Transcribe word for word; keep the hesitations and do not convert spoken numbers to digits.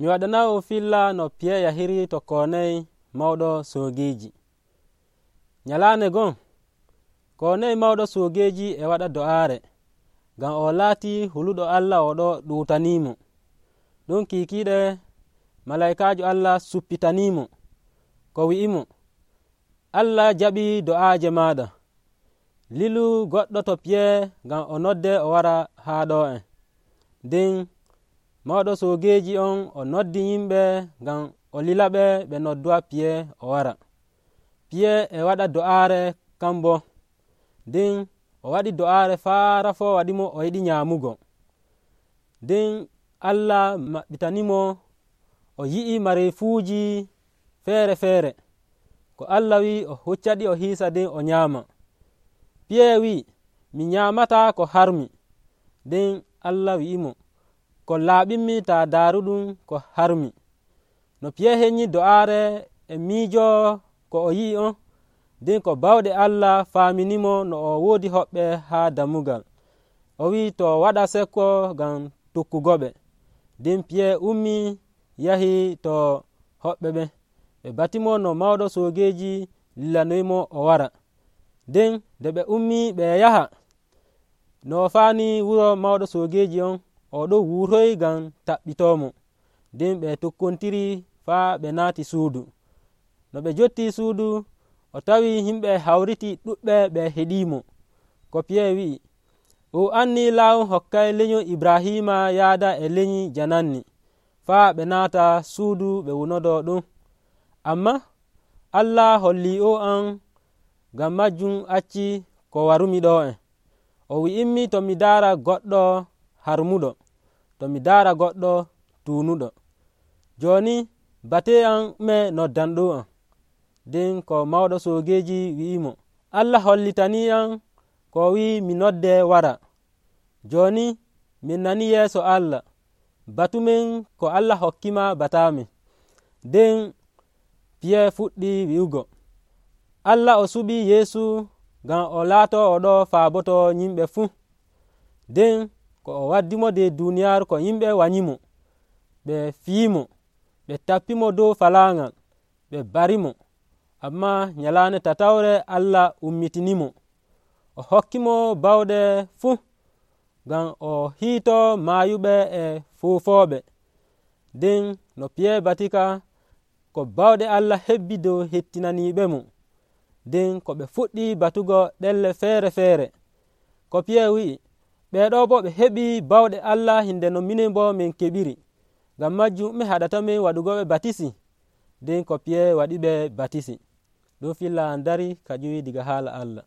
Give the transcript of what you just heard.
mi waɗanawo filla no piye yahiri to koney mawɗo soogeeji. Nyalaande gon koney mawɗo soogeeji e waɗa do'aare ngam o laati huluɗo Allah o ɗo ɗuutaniimo. ɗum kiikiiɗe malaykaajo Allah suppitaniimo ko wi'imo, Allah jaɓi do'aaje maaɗa. Lilu goɗɗo to piye ngam o nodde o wara haa ɗo en. Nden mawɗo soogeeji on o noddi yimɓe ngam o lilaɓe ɓe nodduwa piye o wara. Piye e waɗa do'aare kambo. Nden o waɗi do'aare faara fo waɗimo o yiɗi nyaamugo. Nden Allah maɓɓitanimo o yi'i mareefuuji feere feere ko Allah wi'i o huccaɗi o hiisa nden o nyaama. Piye wi'i, mi nyaamataa ko harmi. Nden Allah wi'imo, ko laaɓinmi taa daaruɗum ko harmi. No piye heƴñi do'aare e miijo ko o yi'i on, nden ko bawɗe Allah faaminimo no o woodi hoɓɓe haa dammugal. O wi'i to waɗa sekko ngam tokkugoɓe. Nden piye ummi yahi to hoɓɓe ɓen ɓe batimo no mawɗo soogeeji lilanoyimo o wara. Nden nde ɓe ummi ɓe yaha no o faani wuro mawɗo soogeeji on, o ɗo wuuroy ngam taɓɓitoomo. Nden ɓe tokkontiri faa ɓe naati suudu. No ɓe jotti suudu, o tawi yimɓe hawriti ɗuɓɓe ɓe heɗiimo. Ko piye wi'i, o anni laawol hokkay lenyol Ibrahima yaada e lenyi jananni faa ɓe naata suudu ɓe wunodo ɗum. Amma Allah holli o an, ngam majjum acci ko warumi ɗo en. O wi'immi to mi daara goɗɗo harmuɗo, to mi daara goɗɗo tuunuɗo. Jooni bate am me noddanɗo am. Nden ko mawɗo soogeeji wi'imo, Allah hollitanii am ko wi'i mi nodde wara. Jooni min nani yeeso Allah, batumen ko Allah hokkima bataamin. Nden piye fuɗɗi wi'ugo, Allah o suɓi Yeesu ngam o laato o ɗo faaboto yimɓe fuu. Nden ko o waddimo de duuniyaaru ko yimɓe wanyimo, ɓe fiimo, ɓe tappimo dow falaaŋal, ɓe barimo. Amma nyalaande tatawre Allah ummitinimo, o hokkimo bawɗe fuu ngam o hiito maayuɓe e foofooɓe. Nden no piye batika, ko bawɗe Allah hebbi dow hettinaniiɓe mo. Nden ko ɓe fuɗɗi batugo ɗelle feere feere. Ko piye wi'i, ɓeeɗo bo ɓe heɓi bawɗe Allah hinde no minen bo min keɓiri. Ngam majjum mi haɗatamin waɗugo ɓe batisi. Nden ko piye waɗi ɓe batisi. ɗum filla an dari ka ƴuwi diga haala Allah.